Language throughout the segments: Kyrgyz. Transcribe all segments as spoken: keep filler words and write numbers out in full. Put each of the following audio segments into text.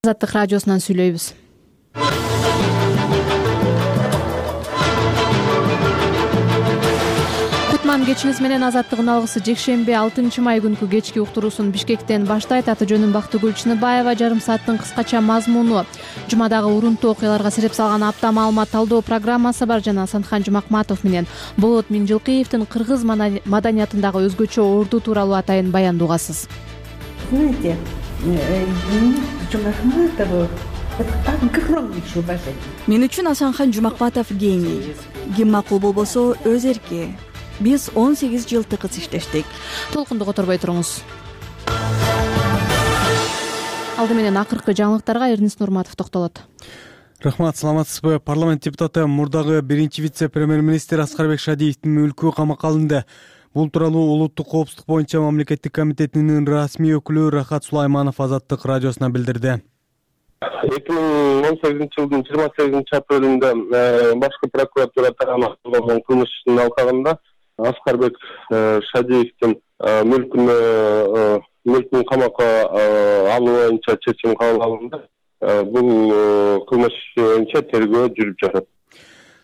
Азаттык радиосунан сүйлөйбүз. Кутман кечиңиз менен Азаттыгын алгысы жекшемби алтынчы май күнкү кечки уктуруусун Бишкектен баштайт. Аты жөнүм Бактыгүл Чыныбаева. Жарым сааттын кыскача мазмуну жумадагы урунтуу окуяларга сереп салган апта маалымат талдоо программасы бар жана Сандхан Жумакматов менен Болот Миңжилкиевдин кыргыз маданиятындагы өзгөчө орду тууралуу атайын баянды угасыз. Знаете, Жумакматову огромнейшее уважение. Мен үчүн Асанхан Жумакматов гений. Ким макул болбосо өз эрки. Биз он сегиз жыл тыкыз иштештик. Толкунду которбой туруңуз. Алды менен акыркы жаңылыктарга Эрнис Нурматов токтолот. Рахмат, саламатсызбы? Парламент депутаты мурдагы биринчи вице-премьер-министр Аскарбек Шадиевдин мүлкү камакка алынды. Бул тууралуу улуттук коопсуздук боюнча мамлекеттик комитетинин расмий өкүлү Рахат Сулайманов Азаттык радиосуна билдирди. эки миң он сегизинчи жылдын жыйырма сегизинчи апрелинде башкы прокуратура тарабынан кылмыш ишинин алкагында Аскарбек Шадиевдин мүлкүнө мүлкүн камакка алуу боюнча чечим кабыл алынды. Бул кылмыш боюнча тергөө жүрүп жатат.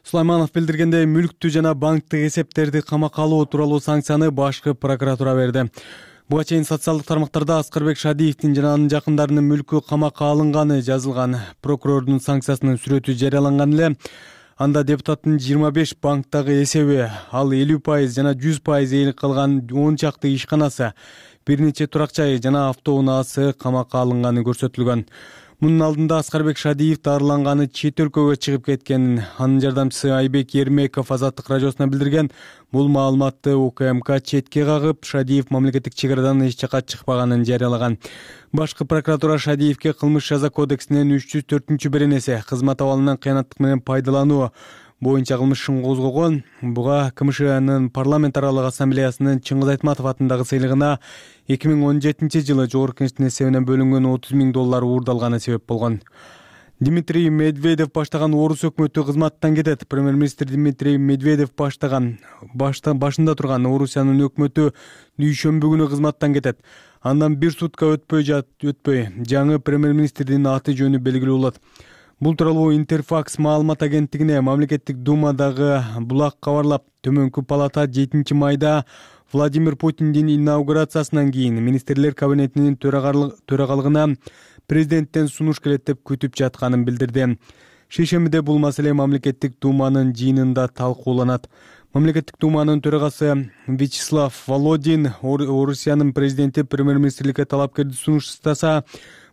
Сулайманов билдиргендей, мүлктү жана банктык эсептерди камакка алуу тууралуу санкцияны башкы прокуратура берди. Буга чейин социалдык тармактарда Аскарбек Шадиевдин жана анын жакындарынын мүлкү камакка алынганы жазылган. Прокурордун санкциясынын сүрөтү жарыяланган эле. Анда депутаттын жыйырма беш банктагы эсеби, ал элүү пайыз жана жүз пайыз ээлик кылган он чакты ишканасы, бир нече турак жайы жана автоунаасы камакка алынганы көрсөтүлгөн. Мунун алдында Аскарбек Шадиев дарыланганы чет өлкөгө чыгып кеткенин анын жардамчысы Айбек Ермеков Азаттык радиосуна билдирген. Бул маалыматты УКМК четке кагып, Шадиев мамлекеттик чек арадан эч жакка чыкпаганын жарыялаган. Башкы прокуратура Шадиевге кылмыш жаза кодексинин үч жүз төртүнчү беренеси кызмат абалынан кыянаттык менен пайдалануу боюнча кылмыш ишин козгогон. Буга КМШнын парламент аралык ассамблеясынын Чыңгыз Айтматов атындагы сыйлыгына эки миң он жетинчи жылы Жогорку Кеңештин эсебинен бөлүнгөн отуз миң доллар уурдалганы себеп болгон. Дмитрий Медведев баштаган орус өкмөтү кызматтан кетет. Премьер-министр Дмитрий Медведев баштаган башында турган Орусиянын өкмөтү дүйшөмбү күнү кызматтан кетет. Андан бир сутка өтпөй жат өтпөй жаңы премьер-министрдин аты жөнү белгилүү болот. Бул тууралуу Интерфакс маалымат агенттигине мамлекеттик думадагы булак кабарлап, төмөнкү палата жетинчи майда Владимир Путиндин инаугурациясынан кийин министрлер кабинетинин төрагалыгына президенттен сунуш келет деп күтүп жатканын билдирди. Шейшембиде бул маселе мамлекеттик думанын жыйынында талкууланат. Мамлекеттик думанын төрагасы Вячеслав Володин Орусиянын президенти премьер-министрликке талапкерди сунуштаса,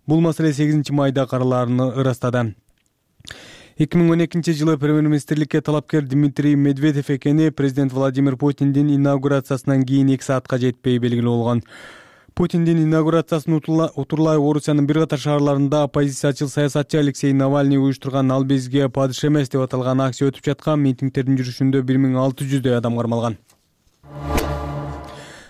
бул маселе сегизинчи майда каралаарын ырастады. эки миң он экинчи жылы премьер-министрликке талапкер Дмитрий Медведев экени президент Владимир Путиндин инаугурациясынан кийин эки саатка жетпей белгилүү болгон. Путиндин инаугурациясын утурлай Орусиянын бир катар шаарларында оппозициячыл саясатчы Алексей Навальный уюштурган «Ал бизге падыш эмес» деп аталган акция өтүп жаткан. Митингдердин жүрүшүндө бир миң алты жүздөй адам кармалган.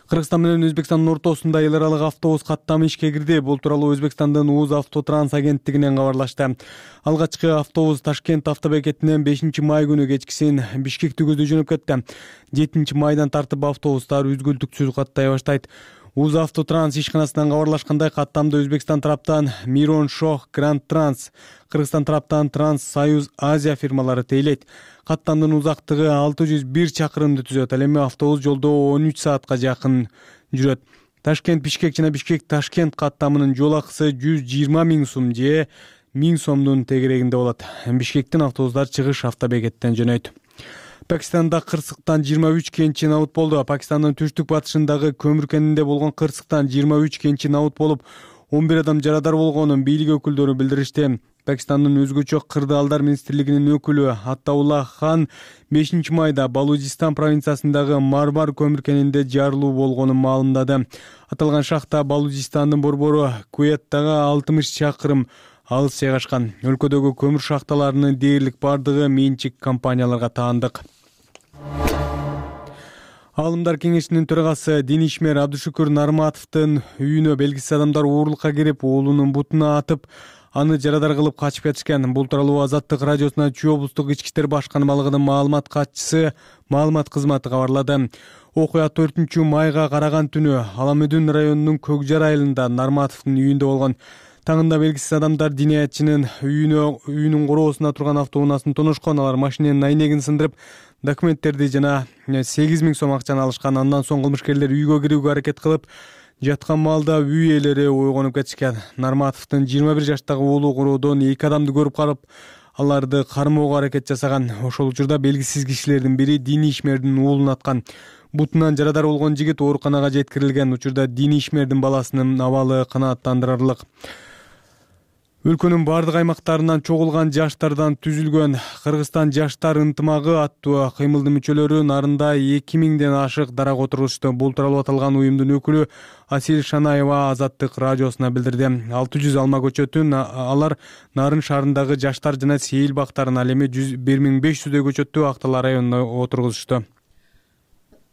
Кыргызстан менен Өзбекстандын ортосунда эл аралык автобус каттамы ишке кирди. Бул тууралуу Өзбекстандын УЗ Автотранс агенттигинен кабарлашты. Алгачкы автобус Ташкент автобекетинен бешинчи май күнү кечкисин Бишкекти көздөй жөнөп кетти. жетинчи майдан тартып автобустар үзгүлтүксүз каттай баштайт. УЗ Автотранс ишканасынан кабарлашкандай, каттамды Өзбекстан тараптан Мирон Шох Гранд Транс, Кыргызстан тараптан Транс Союз Азия фирмалары тейлейт. Каттамдын узактыгы алты жүз бир чакырымды түзөт. Ал эми автобус жолдо он үч саатка жакын жүрөт. Ташкент Бишкек жана Бишкек Ташкент каттамынын жол акысы жүз жыйырма миң сом же миң сомдун тегерегинде болот. Бишкектин автобустар чыгыш автобекеттен жөнөйт. Пакистанда кырсыктан жыйырма үч кенчи набыт болду. Пакистандын түштүк батышындагы көмүр кенинде болгон кырсыктан жыйырма үч кенчи набыт болуп, он бир адам жарадар болгонун бийлик өкүлдөрү билдиришти. Пакистандын өзгөчө кырдаалдар министрлигинин өкүлү Аттаулла Хан бешинчи майда Балуджистан провинциясындагы Мармар көмүр кенинде жарылуу болгонун маалымдады. Аталган шахта Балуджистандын борбору Куэттага алтымыш чакырым алыс жайгашкан. Өлкөдөгү көмүр шахталарынын дээрлик бардыгы менчик компанияларга таандык. Аалымдар кеңешинин төрагасы Денишмер Абдушукур Нарматовдун үйүнө белгисиз адамдар уурулукка кирип, уулунун бутуна атып, аны жарадар кылып качып кетишкен. Бул тууралуу Азаттык радиосуна Чүй облустук ички иштер башкармалыгынын маалымат катчысы маалымат кызматы кабарлады. Окуя төртүнчү майга караган түнү Аламүдүн районунун Көкжар айылында Нарматовдун үйүндө болгон. Таңында белгисиз адамдар диниятчынын үйүнө үйүнүн короосуна турган автоунаасын тоношкон. Алар машинанын айнегин сындырып, документтерди жана сегиз миң сом акчаны алышкан. Андан соң кылмышкерлер үйгө кирүүгө аракет кылып, жаткан маалда үй ээлери ойгонуп кетишкен. Нарматовдун жыйырма бир жаштагы уулу короодон эки адамды көрүп калып, аларды кармоого аракет жасаган. Ошол учурда белгисиз кишилердин бири диний ишмердин уулун аткан. Бутунан жарадар болгон жигит ооруканага жеткирилген. Учурда диний ишмердин баласынын абалы канааттандырарлык. Өлкөнүн бардык аймактарынан чогулган жаштардан түзүлгөн Кыргызстан жаштар ынтымагы аттуу кыймылдын мүчөлөрү Нарында эки миңден ашык дарак отургузушту. Бул тууралуу аталган уюмдун өкүлү Асил Шанаева Азаттык радиосуна билдирди. алты жүз алма көчөтүн алар Нарын шаарындагы жаштар жана сейил бактарын, ал эми бир миң беш жүздөй көчөттү Актал районуна отургузушту.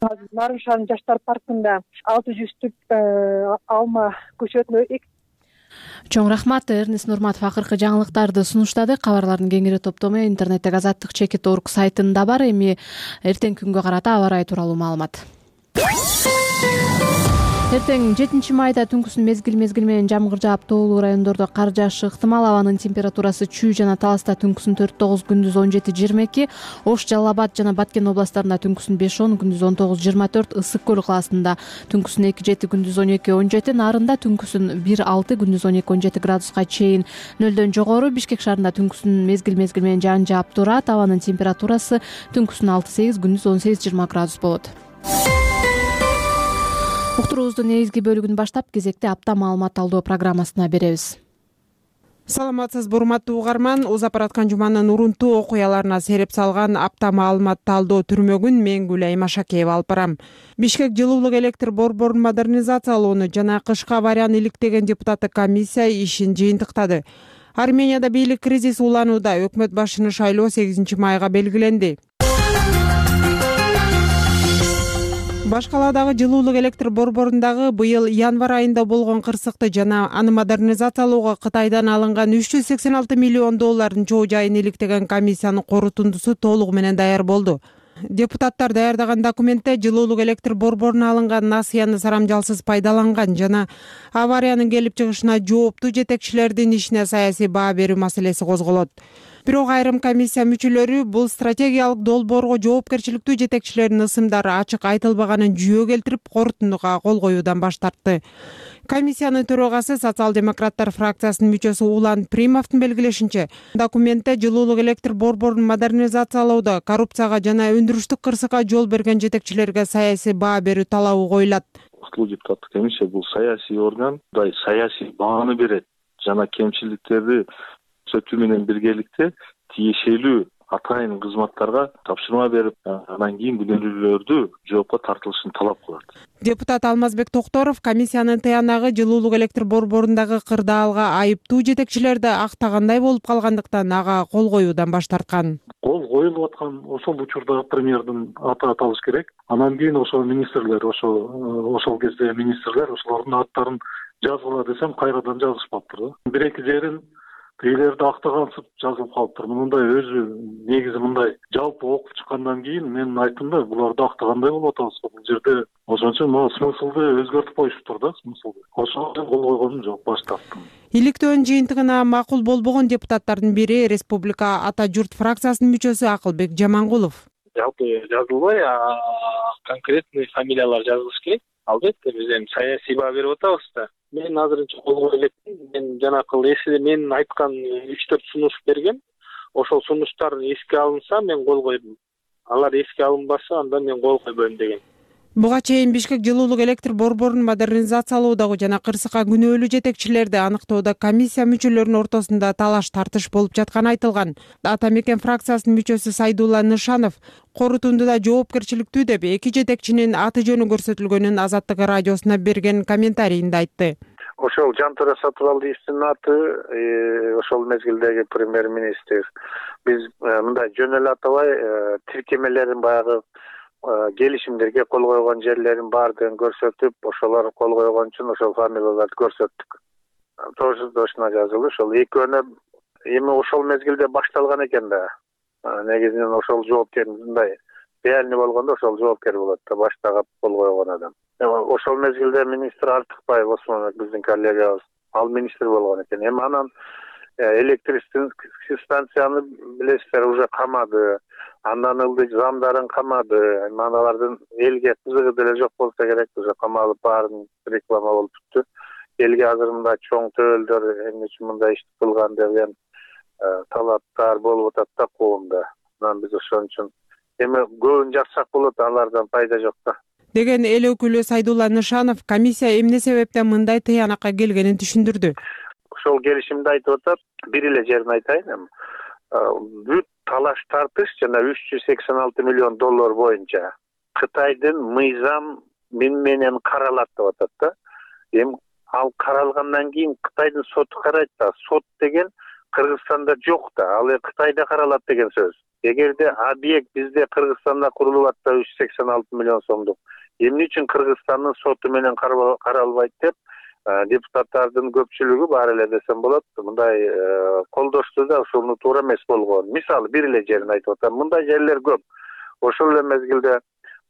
Нарын шаарынын жаштар паркында алты жүздүк алма көчөтүнө Чоң рахмат. Эрнест Нурматов акыркы жаңылыктарды сунуштады. Кабарлардын кеңири топтому интернеттеги азаттык чекит точка орг сайтында бар. Эми эртеңки күнгө карата аба ырайы тууралуу маалымат. Эртең жетинчи майда түнкүсүн мезгил мезгил менен жамгыр жаап, тоолуу райондордо кар жаашы ыктымал. Абанын температурасы Чүй жана Таласта түнкүсүн төрт тогуз, күндүз он жети жыйырма эки, Ош, Жалал Абад жана Баткен областтарында түнкүсүн беш он, күндүз он тогуз жыйырма төрт, Ысык көл калаасында түнкүсүн эки жети, күндүз он эки он жети, Нарында түнкүсүн бир алты, күндүз он эки он жети градуска чейин нөлдөн жогору. Бишкек шаарында түнкүсүн мезгил мезгил менен жаан жаап турат. Абанын температурасы түнкүсүн алты сегиз, күндүз он сегиз жыйырма градус болот. Уктуруубуздун негизги бөлүгүн баштап, кезекте апта маалымат талдоо программасына беребиз. Саламатсызбы, урматтуу угарман. Узап бараткан жуманын урунтуу окуяларына сереп салган апта маалымат талдоо түрмөгүн мен Гүлай Машакеева алып барам. Бишкек жылуулук электр борборун модернизациялоону жана кышкы аварияны иликтеген депутаттык комиссия ишин жыйынтыктады. Арменияда бийлик кризис уланууда. Өкмөт башчыны шайлоо сегизинчи майга белгиленди. Башкаладагы жылуулук электр борборундагы быйыл январь айында болгон кырсыкты жана аны модернизациялоого Кытайдан алынган үч жүз сексен алты миллион доллардын чоо жайын иликтеген комиссиянын корутундусу толугу менен даяр болду. Депутаттар даярдаган документте жылуулук электр борборуна алынган насыяны сарамжалсыз пайдаланган жана авариянын келип чыгышына жооптуу жетекчилердин ишине саясий баа берүү маселеси козголот. Бирок айрым комиссия мүчөлөрү бул стратегиялык долбоорго жоопкерчиликтүү жетекчилердин ысымдары ачык айтылбаганын жүйө келтирип, корутундуга кол коюудан баш тартты. Комиссиянын төрагасы социал-демократтар фракциясынын мүчөсү Улан Примовдун белгилешинче, документте жылуулук электр борборун модернизациялоодо коррупцияга жана өндүрүштүк кырсыкка жол берген жетекчилерге саясий баа берүү талабы коюлат. Уктулуу депутаттык комиссия бул саясий орган, саясий бааны берет жана кемчиликтерди сөтүү менен биргеликте тиешелүү атайын кызматтарга тапшырма берип, анан кийин күнөөлүүлөрдү жоопко тартылышын талап кылат. Депутат Алмазбек Токторов комиссиянын тыянагы жылуулук электр борборундагы кырдаалга айыптуу жетекчилерди актагандай болуп калгандыктан ага кол коюудан баш тарткан. Кол коюлуп аткан ошол учурда премьердин аты аталыш керек. Анан кийин ошол министрлер, ошол ошол кезде министрлер ошолордун аттарын жазгыла десем кайрадан жазышпаптыр да. Бир эки жерин тийлерди актагансып жазылып калыптыр. Мындай өзү негизи мындай жалпы окуп чыккандан кийин мен айттым да, буларды актагандай болуп атабыз. Бул жерде ошончо могу смыслды өзгөртүп коюшуптур да, смыслды. Ошого кол койгонум жок, баш тарттым. Иликтөөнүн жыйынтыгына макул болбогон депутаттардын бири Республика Ата журт фракциясынын мүчөсү Акылбек Жамангулов. Жалпы жазылбай, конкретный фамилиялар жазылыш керек. Албетте биз эми саясий баа берип атабыз да. Мен азырынча кол кое электим. Мен жанакыл эсиде мен айткан үч төрт сунуш бергем. Ошол сунуштар эске алынса мен кол койдум. Алар эске алынбаса анда мен кол койбойм деген. Буга чейин Бишкек жылуулук электр борборун модернизациялоодогу жана кырсыкка күнөөлүү жетекчилерди аныктоодо комиссия мүчөлөрүнүн ортосунда талаш тартыш болуп жатканы айтылган. Ата Мекен фракциясынын мүчөсү Сайдулла Нышанов корутундуда жоопкерчиликтүү деп эки жетекчинин аты жөнү көрсөтүлгөнүн Азаттык радиосуна берген комментарийинде айтты. Ошол Жантура Сатыбалдиевдин аты, ошол мезгилдеги премьер-министр, биз мындай жөн эле атабай тиркемелерин баягы келишимдерге кол койгон жерлерин баардыгын көрсөтүп, ошолор кол койгон үчүн ошол фамилияларды көрсөттүк. Точно жазылды. Ошол экөөнө эми ошол мезгилде башталган экен да. Негизинен ошол жоопкер мындай реальный болгондо ошол жоопкер болот да, баштагы кол койгон адам. Ошол мезгилде министр Артыкбаев Осмонбек биздин коллегабыз ал министр болгон экен. Эми анан электр станцияны билесиздер уже камады, андан ылдый замдарын камады. Эми аналардын элге кызыгы деле жок болсо керек, уже камалып баарын реклама болуп тутту. Элге азыр мындай чоң төбөлдөр эмне үчүн мындай ишти кылган деген талаптар болуп атат да коомдо. Анан биз ошон үчүн эми көбүн жазсак болот, алардан пайда жок да деген эл өкүлү Сайдулла Нышанов комиссия эмне себептен мындай тыянакка келгенин түшүндүрдү. Ошол келишимди айтып атат. Бир эле жерин айтайын эми. Бүт талаш тартыш жана үч жүз сексен алты миллион доллар боюнча Кытайдын мыйзам менен каралат деп атат да. Эми ал каралгандан кийин Кытайдын соту карайт да. Сот деген Кыргызстанда жок да, ал Кытайда каралат деген сөз. Эгерде объект бизде Кыргызстанда курулуп атса үч жүз сексен алты миллион сомдук, эмне үчүн Кыргызстандын соту менен каралбайт деп депутаттардын көпчүлүгү бар эле десем болот. Мындай колдошту да, ушуну туура эмес болгон. Мисалы бир эле жерин айтып атам. Мындай жерлер көп. Ошол эле мезгилде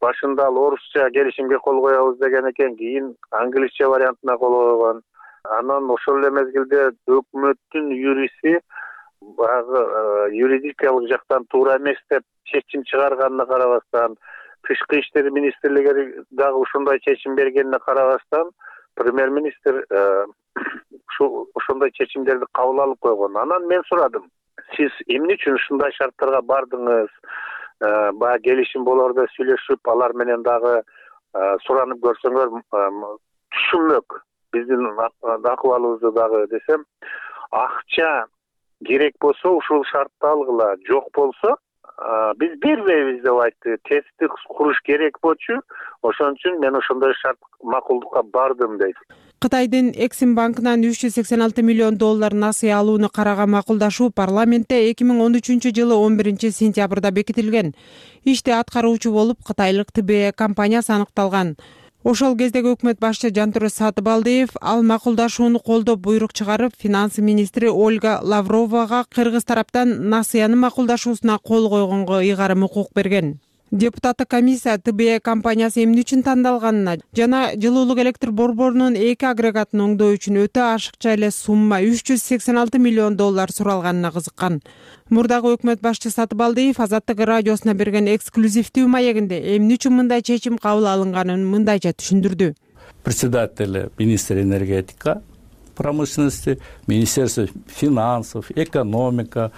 башында ал орусча келишимге кол коебуз деген экен, кийин англисче вариантына кол койгон. Анан ошол эле мезгилде өкмөттүн юриси баягы юридикалык жактан туура эмес деп чечим чыгарганына карабастан, тышкы иштер министрлиги дагы ушундай чечим бергенине карабастан, премьер-министр ошондой чечимдерди кабыл алып койгон. Анан мен сурадым, сиз эмне үчүн ушундай шарттарга бардыңыз? Баягы келишим болордо сүйлөшүп, алар менен дагы суранып көрсөңөр түшүнмөк биздин акыбалыбызды дагы десем, акча керек болсо ушул шартты алгыла, жок болсо биз бербейбиз деп айтты. Тестти куруш керек болчу, ошон үчүн мен ошондой шарт макулдукка бардым дейт. Кытайдын Эксим банкынан үч жүз сексен алты миллион доллар насыя алууну караган макулдашуу парламентте эки миң он үчүнчү жылы он биринчи сентябрда бекитилген. Ишти аткаруучу болуп Кытайлык Тэ Бэ Э компаниясы аныкталган. Ошол кездеги өкмөт башчы Жантурус Сатыбалдиев ал макулдашууну колдоп буйрук чыгарып, финанс министри Ольга Лавровага Кыргыз тараптан насыяны макулдашуусуна кол койгонго ыйгарым укук берген. Депутаттык комиссия Тэ Бэ Э компаниясы эмне үчүн тандалганына жана жылуулук электр борборунун эки агрегатын оңдоо үчүн өтө ашыкча эле сумма үч жүз сексен алты миллион доллар суралганына кызыккан. Мурдагы өкмөт башчы Сатыбалдиев Азаттык радиосуна берген эксклюзивдүү маегинде эмне үчүн мындай чечим кабыл алынганын мындайча түшүндүрдү. Председатель министр энергетика промышленности, министерство финансов, экономика,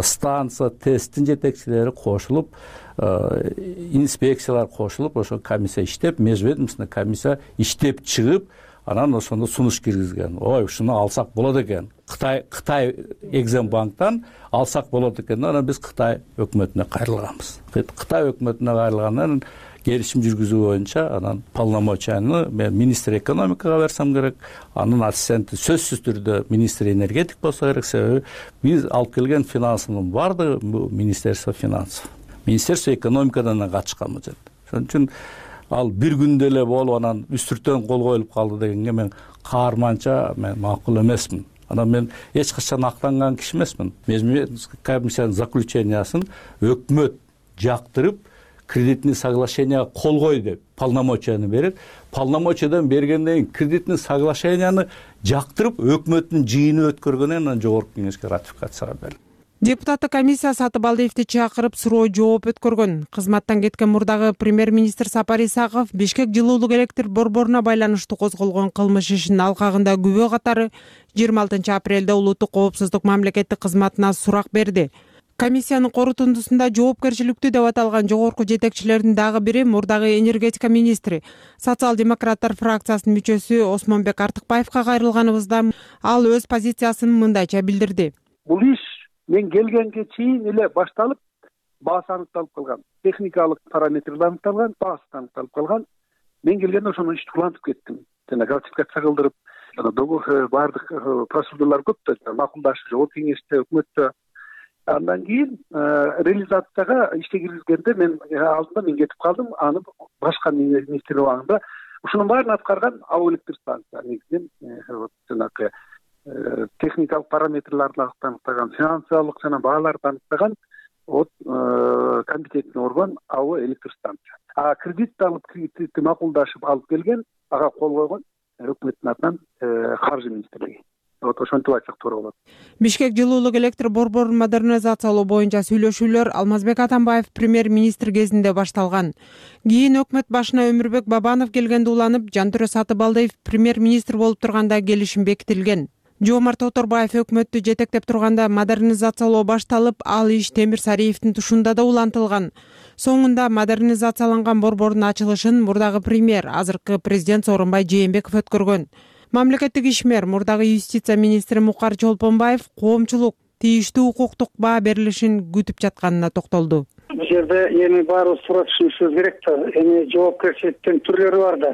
станция, тесттин жетекчилери кошулуп, инспекциялар кошулуп, ошо комиссия иштеп, межведомственный комиссия иштеп чыгып, анан ошондо сунуш киргизген. Ой, ушуну алсак болот экен. Кытай Кытай Эксим банктан алсак болот экен. Анан биз Кытай өкмөтүнө кайрылганбыз. Кытай өкмөтүнө кайрылгандан келишим жүргүзүү боюнча анан полномочияны мен министр экономикага берсем керек, анын ассистенти сөзсүз түрдө министр энергетик болсо керек, себеби биз алып келген финансынын баардыгы бул министерство финансов. Министерство экономикадан качканбыз. Ошон үчүн ал бир күндө эле болуп анан үстүртөн кол коюлуп калды дегенге мен каарманча мен макул эмесмин. Анан мен эч качан актанган киши эмесмин. Межведомственный комиссиянын заключениясын өкмөт жактырып, кредитный соглашение кол кой деп полномочияны берет. Полномочиядан бергенден кийин кредитный соглашенияны жактырып, өкмөттүн жыйыны өткөргөндөн анан жогорку кеңешке ратификацияга берилет. Депутаттык комиссия Сатыбалдиевди чакырып суроо жооп өткөргөн. Кызматтан кеткен мурдагы премьер-министр Сапар Исаков Бишкек жылуулук электр борборуна байланыштуу козголгон кылмыш ишинин алкагында күбө катары жыйырма алтынчы апрелде улуттук коопсуздук мамлекеттик кызматына сурак берди. Комиссиянын корутундусунда жоопкерчиликтүү деп аталган жогорку жетекчилердин дагы бири мурдагы энергетика министри, социал-демократтар фракциясынын мүчөсү Осмонбек Артыкбаевга кайрылганыбызда ал өз позициясын мындайча билдирди. Бул иш мен келгенге чейин эле башталып, баасы аныкталып калган, техникалык параметрлер аныкталган, баасы аныкталып калган. Мен келгенде ошону ишти улантып кеттим. Жана ратификация кылдырып, жана договор баардык процедуралар көп да, макулдашып, жогорку кеңеште, өкмөттө. Андан кийин реализацияга ишке киргизгенде мен алдында мен кетип калдым, аны башка министр убагында ушунун баарын аткарган АО электр станция негизинен жанагы техникалык параметрлерди аныктаган, финансылык жана бааларды аныктаган вот компетентный орган АО электр станция. А кредитти алып, кредитти макулдашып алып келген, ага кол койгон өкмөттүн атынан каржы министрлиги. Вот ошентип айтсак туура болот. Бишкек жылуулук электр борборун модернизациялоо боюнча сүйлөшүүлөр Алмазбек Атамбаев премьер-министр кезинде башталган. Кийин өкмөт башына Өмүрбек Бабанов келгенде уланып, Жантөрө Сатыбалдиев премьер-министр болуп турганда келишим бекитилген. Жоомарт Оторбаев өкмөттү жетектеп турганда модернизациялоо башталып, ал иш Темир Сариевдин тушунда да улантылган. Соңунда модернизацияланган борбордун ачылышын мурдагы премьер, азыркы президент Сооронбай Жээнбеков өткөргөн. Мамлекеттик ишмер, мурдагы юстиция министри Мукар Чолпонбаев коомчулук тийиштүү укуктук баа берилишин күтүп жатканына токтолду. Бул жерде эми баарыбыз туура түшүнүшүбүз керек да. Эми жоопкерчиликтин түрлөрү бар да.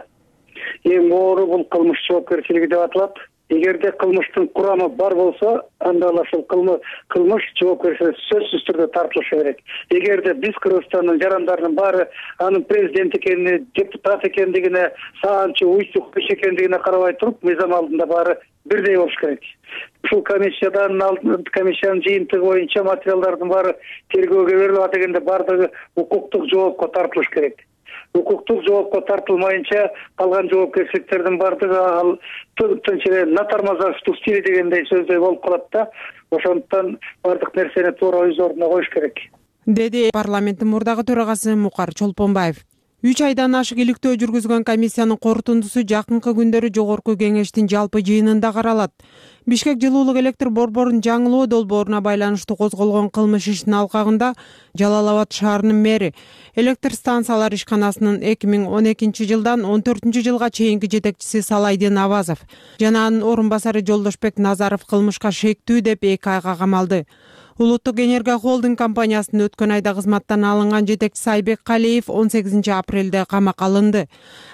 Эң оору бул кылмыш жоопкерчилиги деп аталат. Эгерде кылмыштын курамы бар болсо, анда ошол кылмыш жоопкерчиликке сөзсүз түрдө тартылышы керек. Эгерде биз Кыргызстандын жарандарынын баары анын президент экенине, депутат экендигине, саанчы уйсук иш экендигине карабай туруп, мыйзам алдында баары бирдей болуш керек. Ушул комиссиядан комиссиянын жыйынтыгы боюнча материалдардын баары тергөөгө берилип дегенде баардыгы укуктук жоопко тартылыш керек. Укуктук жоопко тартылмайынча калган жоопкерчиликтердин баардыгы ал тынч эле натармазаштуу стили дегендей сөздөй болуп калат да. Ошондуктан баардык нерсени туура өз ордуна коюш керек, деди парламенттин мурдагы төрагасы Мукар Чолпонбаев. үч айдан ашык иликтөө жүргүзгөн комиссиянын корутундусу жакынкы күндөрү жогорку кеңештин жалпы жыйынында каралат. Бишкек жылуулук электр борборун жаңылоо долбооруна байланыштуу козголгон кылмыш ишинин алкагында Жалал Абад шаарынын мэри, электр станциялар ишканасынын эки миң он экинчи жылдан он төртүнчү жылга чейинки жетекчиси Салайдин Абазов жана анын орун басары Жолдошбек Назаров кылмышка шектүү деп эки айга камалды. Улуттук энергия холдинг компаниясынын өткөн айда кызматтан алынган жетекчиси Айбек Калиев он сегизинчи апрелде камакка алынды.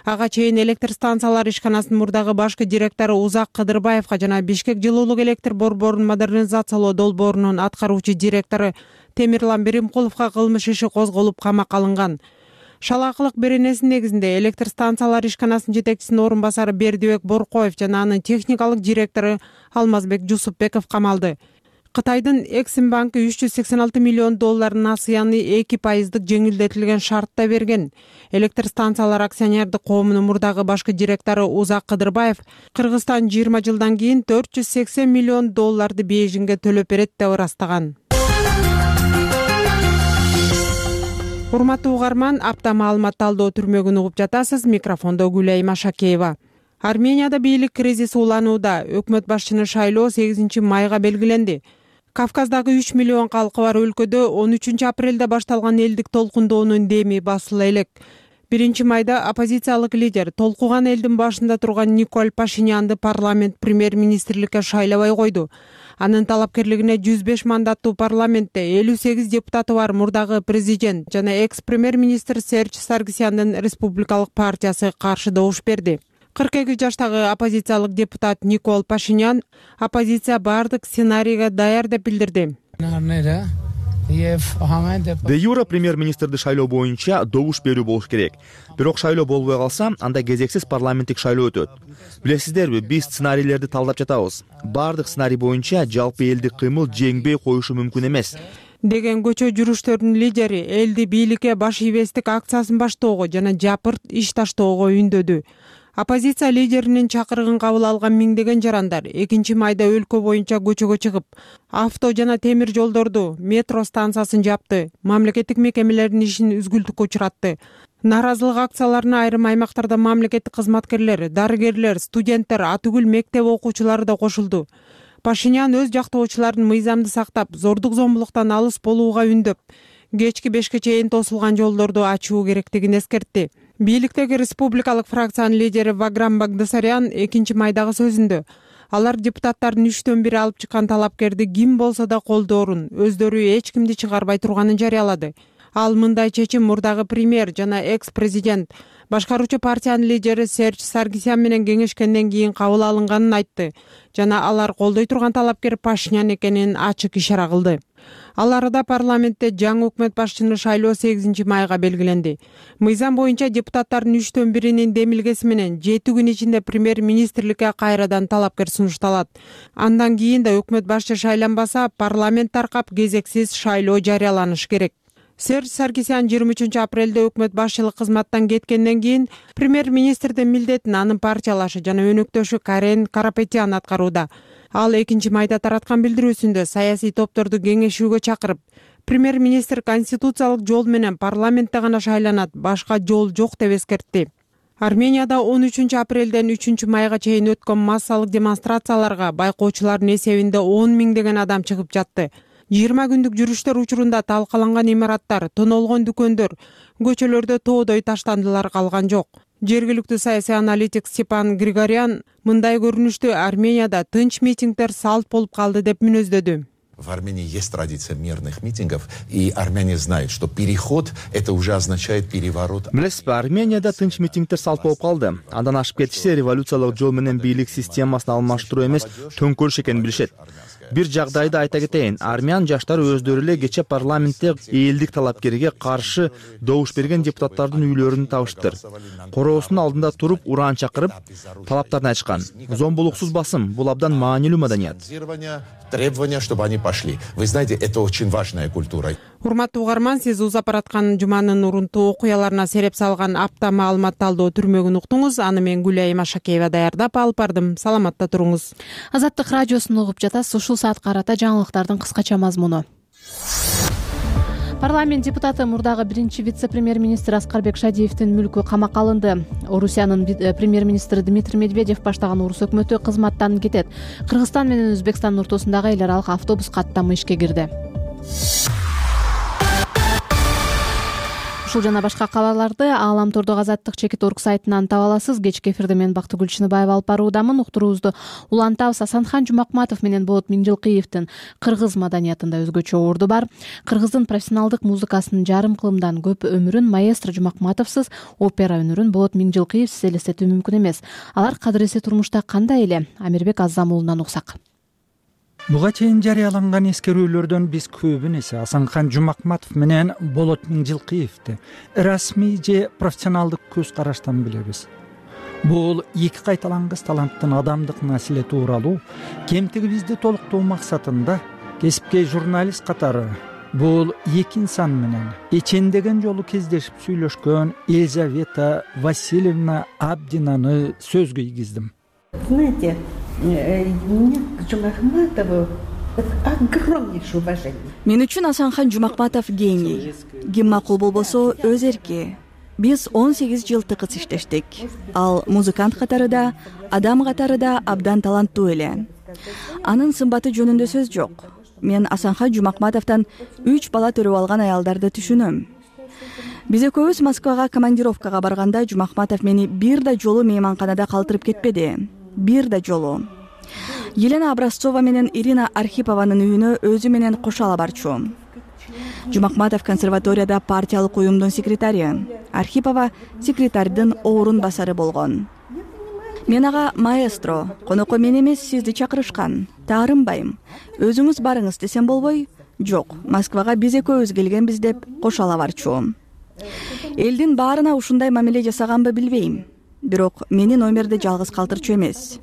Ага чейин электр станциялар ишканасынын мурдагы башкы директору Узак Кыдырбаевга жана Бишкек жылуулук электр борборун модернизациялоо долбоорунун аткаруучу директору Темирлан Беримкуловго кылмыш иши козголуп камакка алынган. Шалаакылык беренесинин негизинде электр станциялар ишканасынын жетекчисинин орун басары Бердибек Боркоев жана анын техникалык директору Алмазбек Жусупбеков камалды. Кытайдын Эксим банкы үч жүз сексен алты миллион долларын насыяны эки пайыздык жеңилдетилген шартта берген. Электр станциялар акционердик коомунун мурдагы башкы директору Узак Кыдырбаев Кыргызстан жыйырма жылдан кийин төрт жүз сексен миллион долларды бейжиңге төлөп берет деп ырастаган. Урматтуу угарман, апта маалымат талдоо түрмөгүн угуп жатасыз. Микрофондо Гүлай Машакеева. Арменияда бийлик кризиси уланууда. Өкмөт башчыны шайлоо сегизинчи майга белгиленди. Кавказдагы үч миллион калкы бар өлкөдө он үчүнчү апрелде башталган элдик толкундоонун деми басыла элек. биринчи майда оппозициялык лидер толкуган элдин башында турган Николь Пашинянды парламент премьер-министрликке шайлабай койду. Анын талапкерлигине жүз беш мандаттуу парламентте элүү сегиз депутаты бар мурдагы президент жана экс-премьер-министр Серж Саргсяндын республикалык партиясы каршы добуш берди. кырк эки жаштагы оппозициялык депутат Николь Пашинян оппозиция бардык сценарийге даяр деп билдирди. Де юра премьер-министрди шайлоо боюнча добуш берүү болуш керек. Бирок шайлоо болбой калса, анда кезексиз парламенттик шайлоо өтөт. Билесиздерби, биз сценарийлерди талдап жатабыз. Бардык сценарий боюнча жалпы элдик кыймыл жеңбей коюшу мүмкүн эмес, деген көчө жүрүштөрүнүн лидери элди бийликке баш ийбестик акциясын баштоого жана жапырт иш таштоого үндөдү. Оппозиция лидеринин чакырыгын кабыл алган миңдеген жарандар экинчи майда өлкө боюнча көчөгө чыгып, авто жана темир жолдорду, метро станциясын жапты, мамлекеттик мекемелердин ишин үзгүлтүккө учуратты. Наразылык акцияларына айрым аймактарда мамлекеттик кызматкерлер, дарыгерлер, студенттер, атүгүл мектеп окуучулары да кошулду. Пашинян өз жактоочуларын мыйзамды сактап, зордук зомбулуктан алыс болууга үндөп, кечки бешке чейин тосулган жолдорду ачуу керектигин эскертти. Бийликтеги республикалык фракциянын лидери Ваграм Багдасарян экинчи майдагы сөзүндө алар депутаттардын үчтөн бири алып чыккан талапкерди ким болсо да колдоорун, өздөрү эч кимди чыгарбай турганын жарыялады. Ал мындай чечим мурдагы премьер жана экс-президент башкаруучу партиянын лидери Серж Саргсян менен кеңешкенден кийин кабыл алынганын айтты жана алар колдой турган талапкер Пашинян экенин ачык ишара кылды. Ал арада парламентте жаңы өкмөт башчыны шайлоо сегизинчи майга белгиленди. Мыйзам боюнча депутаттардын үчтөн биринин демилгеси менен жети күн ичинде премьер-министрликке кайрадан талапкер сунушталат. Андан кийин да өкмөт башчы шайланбаса, парламент таркап кезексиз шайлоо жарыяланышы керек. Серж Саркисян жыйырма үчүнчү апрелде өкмөт башчылык кызматтан кеткенден кийин премьер-министрдин милдетин анын партиялашы жана өнөктөшү Карен Карапетян аткарууда. Ал экинчи майда тараткан билдирүүсүндө саясий топторду кеңешүүгө чакырып, премьер-министр конституциялык жол менен парламентте гана шайланат, башка жол жок деп эскертти. Арменияда он үчүнчү апрелден үчүнчү майга чейин өткөн массалык демонстрацияларга байкоочулардын эсебинде он миңдеген адам чыгып жатты. жыйырма күндүк жүрүштөр учурунда талкаланган имараттар, тонолгон дүкөндөр, көчөлөрдө тоодой таштандылар калган жок. Жергиликтүү саясий аналитик Степан Григорян мындай көрүнүштү Арменияда тынч митингдер салт болуп калды деп мүнөздөдү. В Армении есть традиция мирных митингов, и армяне знают, что переход — это уже означает переворот. Билесизби, Арменияда тынч митингдер салт болуп калды. Андан ашып кетишсе, революциялык жол менен бийлик системасын алмаштыруу эмес, төңкөрүш экенин билишет. Бир жагдайды айта кетейин. Армян жаштары өздөрү эле кече парламентте элдик талапкерге каршы добуш берген депутаттардын үйлөрүн табыштыр. Короосунун алдында туруп, уран чакырып, талаптарын айтышкан. Зомбулуксуз басым — бул абдан маанилүү маданият. Требования, чтобы они пошли. Вы знаете, это очень важная культура. Урматтуу угарман, сиз узап бараткан жуманын урунтуу окуяларына сереп салган апта маалымат талдоо түрмөгүн уктуңуз. Аны мен Гүлайым Ашакеева даярдап алып бардым. Саламатта туруңуз. Азаттык радиосун угуп жатасыз. Ушул саатка карата жаңылыктардын кыскача мазмуну. Парламент депутаты мурдагы биринчи вице-премьер-министр Аскарбек Шадиевдин мүлкү камакка алынды. Орусиянын премьер-министри Дмитрий Медведев баштаган орус өкмөтү кызматтан кетет. Кыргызстан менен Өзбекстандын ортосундагы эл аралык автобус каттамы ишке кирди. Ушул жана башка кабарларды Ааламтордогу Азаттык чекит орг сайтынан таба аласыз. Кечки эфирде мен Бактыгүл Чыныбаева алып баруудамын. Уктуруубузду улантабыз. Асанхан Жумакматов менен Болот Миңжилкиевдин кыргыз маданиятында өзгөчө орду бар. Кыргыздын профессионалдык музыкасынын жарым кылымдан көп өмүрүн маэстро Жумакматовсуз, опера өнөрүн Болот Миңжилкиевсиз элестетүү мүмкүн эмес. Алар кадыреси турмушта кандай эле? Амирбек Аззам уулунан уксак. Буга чейин жарыяланган эскерүүлөрдөн биз көбүн эсе Асанхан Жумакматов менен Болот Миңжилкиевди расмий же профессионалдык көз караштан билебиз. Бул эки кайталангыс таланттын адамдык населе тууралуу кемтигибизди толуктоо максатында кесипкей журналист катары бул эки инсан менен эчендеген жолу кездешип сүйлөшкөн Елизавета Васильевна Абдинаны сөзгө ийгиздим. Знаете, мне к Жумакматову огромнейшее уважение. Мен үчүн Асанхан Жумакматов гений. Ким макул болбосо өз эрки. Биз он сегиз жыл тыкыз иштештик. Ал музыкант катары да, адам катары да абдан таланттуу эле. Анын сымбаты жөнүндө сөз жок. Мен Асанхан Жумакматовдон үч бала төрөп алган аялдарды түшүнөм. Биз экөөбүз Москвага командировкага барганда Жумакматов мени бир да жолу мейманканада калтырып кетпеди. Бир да жолу. Елена Образцова менен Ирина Архипованын үйүнө өзү менен кошо ала барчу. Жумакматов консерваторияда партиялык уюмдун секретари, Архипова секретардын орун басары болгон. Мен ага маэстро, конокко мен эмес сизди чакырышкан. Таарынбайм. Өзүңүз барыңыз десем болбой, жок, Москвага биз экөөбүз келгенбиз деп кошо ала барчу. Элдин баарына ушундай мамиле жасаганбы билбейм. Бирок мени номерде жалгыз калтырчу эмес.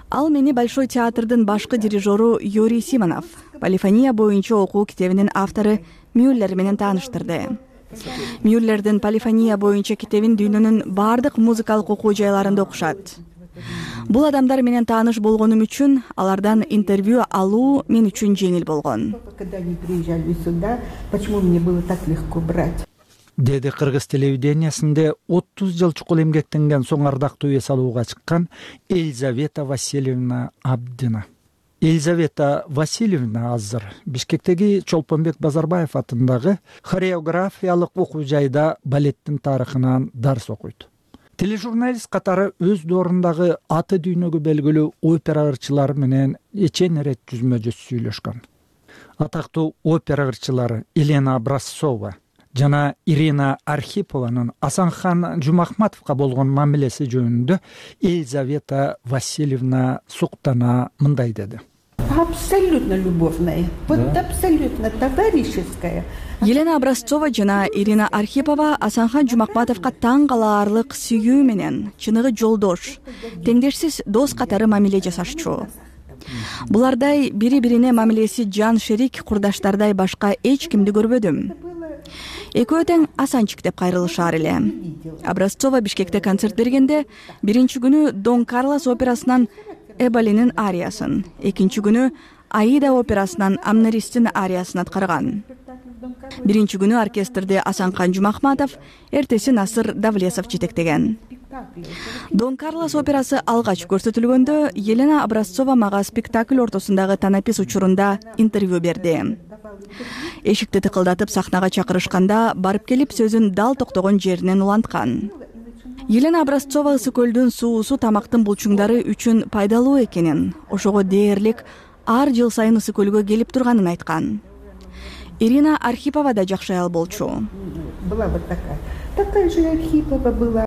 Ал мени Большой театрдын башкы дирижеру Юрий Симонов, полифония боюнча окуу китебинин автору Мюллер менен тааныштырды. Мюллердин полифония боюнча китебин дүйнөнүн бардык музыкалык окуу жайларында окушат. Бул адамдар менен тааныш болгонум үчүн алардан интервью алуу мен үчүн жеңил болгон. Когда они приезжали сюда, почему мне было так легко брать? Деди кыргыз телевидениясинде отуз жыл чукул эмгектенген соң ардактуу эс алууга чыккан Елизавета Васильевна Абдина. Елизавета Васильевна азыр Бишкектеги Чолпонбек Базарбаев атындагы хореографиялык окуу жайда балеттин тарыхынан дарс окуйт. Тележурналист катары өз доорундагы аты дүйнөгө белгилүү опера ырчылары менен эчен ирет жүзмө жүз сүйлөшкөн. Атактуу опера ырчылары Елена Образцова жана Ирина Архипованын Асанхан Жумакматовго болгон мамилеси жөнүндө Елизавета Васильевна суктана мындай деди. Абсолютно любовная, вот абсолютно товарищеская. Елена Образцова жана Ирина Архипова Асанхан Жумакматовго таң калаарлык сүйүү менен чыныгы жолдош, теңдешсиз дос катары мамиле жасашчу. Булардай бири-бирине мамилеси жан шерик курдаштардай башка эч кимди көрбөдүм. экөө тең асанчик деп кайрылышаар эле. Образцова Бишкекте концерт бергенде биринчи күнү Дон Карлос операсынан Эболинин ариясын, экинчи күнү Аида операсынан Амнаристин ариясын аткарган. Биринчи күнү оркестрди Асанкан Жумахматов, эртеси Насыр Давлесов жетектеген. Дон Карлос операсы алгач көрсөтүлгөндө Елена Образцова мага спектакль ортосундагы танапис учурунда интервью берди. Эшикти тыкылдатып сахнага чакырышканда барып келип сөзүн дал токтогон жеринен уланткан. Елена Образцова ысык көлдүн суусу тамактын булчуңдары үчүн пайдалуу экенин, ошого дээрлик ар жыл сайын ысык көлгө келип турганын айткан. Ирина Архипова да жакшы аял болчу. Была вот такая. Такая же Архипова была.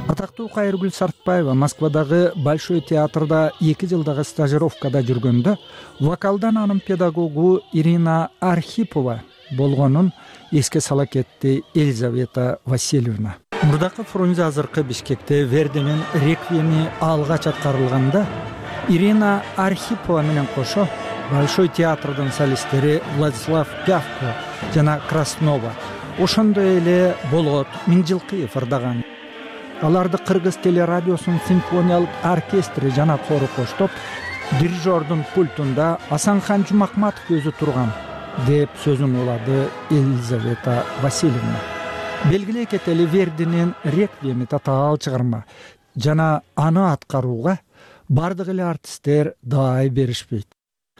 Атактуу Кайыргүл Сартбаева Москвадагы Большой театрда эки жылдагы стажировкада жүргөндө вокалдан анын педагогу Ирина Архипова болгонун эске сала кетти Елизавета Васильевна. Мурдакы Фрунзе азыркы Бишкекте Вердинин реквиеми алгач аткарылганда Ирина Архипова менен кошо Большой театрдын солисттери Владислав Пявко жана Краснова, ошондой эле Болот Миңжилкыев ырдаган. Аларды Кыргыз телерадиосунун симфониялык оркестри жана хору коштоп, дирижердун пультунда Асанхан Жумахматов өзү турган деп сөзүн улады Елизавета Васильевна. Белгилей кетели, Вердинин реквиеми татаал чыгарма жана аны аткарууга бардык эле артисттер даай беришпейт.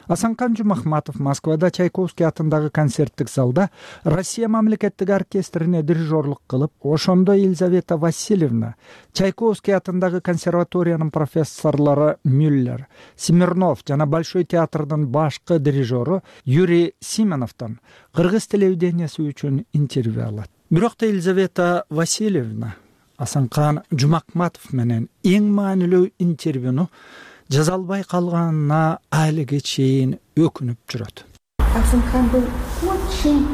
Асанкан Жумахматов Москвада Чайковский атындагы концерттик залда Россия мамлекеттик оркестрине дирижерлук кылып, ошондо Елизавета Васильевна Чайковский атындагы консерваториянын профессорлору Мюллер, Смирнов жана Большой театрдын башкы дирижеру Юрий Симоновдон кыргыз телевиденияси үчүн интервью алат. Бирок да Елизавета Васильевна Асанкан Жумахматов менен эң маанилүү интервьюну жаза албай калганына алиге чейин өкүнүп жүрөт. Асанхан был очень,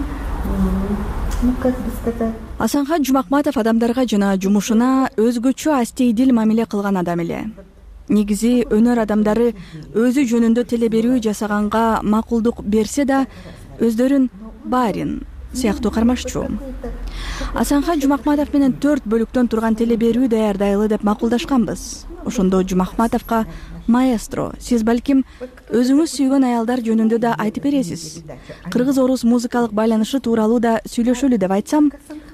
ну как бы сказать. Асанхан Жумахматов адамдарга жана жумушуна өзгөчө астейдил мамиле кылган адам эле. Негизи өнөр адамдары өзү жөнүндө теле берүү жасаганга макулдук берсе да, өздөрүн барин сыяктуу кармашчу. Асанхан Жумахматов менен төрт бөлүктөн турган теле берүү даярдайлы деп макулдашканбыз. Ошондо Жумахматовго маэстро, сиз балким өзүңүз сүйгөн аялдар жөнүндө да айтып бересиз. Кыргыз-орус музыкалык байланышы тууралуу да сүйлөшөлү деп айтсам,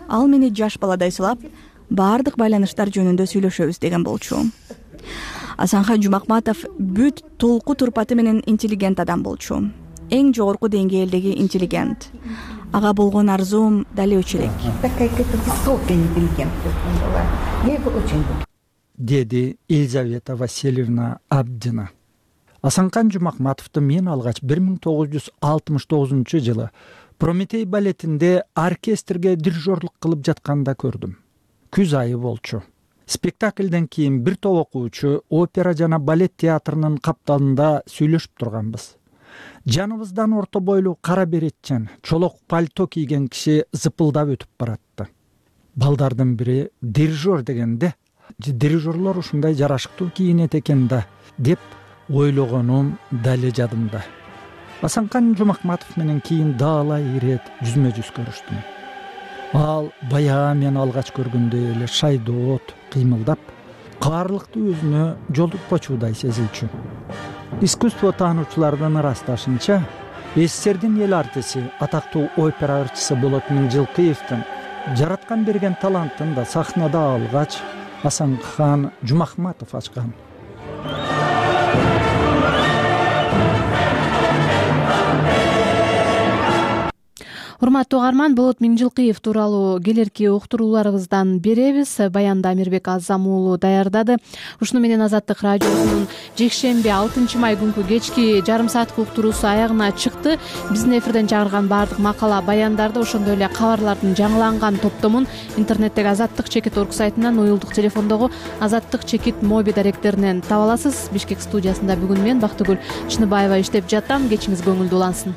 ал мени жаш баладай сылап, баардык байланыштар жөнүндө сүйлөшөбүз деген болчу. Асанхан Жумахматов бүт толку турпаты менен интеллигент адам болчу. Эң жогорку деңгээлдеги интеллигент. Ага болгон арзуум дали өчө элек. Такая какая-то высокая интеллигентность была. Я его очень люблю. Деди Елизавета Васильевна Абдина. Асанкан Жумахматовду мен алгач бир миң тогуз жүз алтымыш тогузунчу жылы Прометей балетинде оркестрге дирижерлук кылып жатканда көрдүм. Күз айы болчу. Спектакльден кийин бир топ окуучу опера жана балет театрынын капталында сүйлөшүп турганбыз. Жаныбыздан орто бойлуу кара беретчен, чолок пальто кийген киши зыпылдап өтүп баратты. Балдардын бири дирижер дегенде, дирижерлор ушундай жарашыктуу кийинет экен да деп ойлогонум дали жадымда. Асанкан Жумахматов менен кийин даалай ирет жүзмө жүз көрүштүм. Ал баягы мен алгач көргөндөй эле шайдоот кыймылдап, каарлыктуу өзүнө жолукпочудай сезилчү. Искусство таануучулардын ырасташынча, СССРдин эл артиси, атактуу опера ырчысы Болот Миңжилкыевдин жараткан берген талантын да сахнада алгач Асанхан Жумахматов ачкан. Урматтуу угарман, Болот Миңжилкыев тууралуу келерки уктурууларыбыздан беребиз. Баянды Амирбек Азам уулу даярдады. Ушуну менен Азаттык радиосунун жекшемби алтынчы май күнкү кечки жарым сааттык уктуруусу аягына чыкты. Биздин эфирден чыгарылган баардык макала, баяндарды, ошондой эле кабарлардын жаңыланган топтомун интернеттеги азаттык чекит точка орг сайтынан, уюлдук телефондогу азаттык чекит моби даректеринен таба аласыз. Бишкек студиясында бүгүн мен Бактыгүл Чыныбаева иштеп жатам. Кечиңиз көңүлдүү улансын.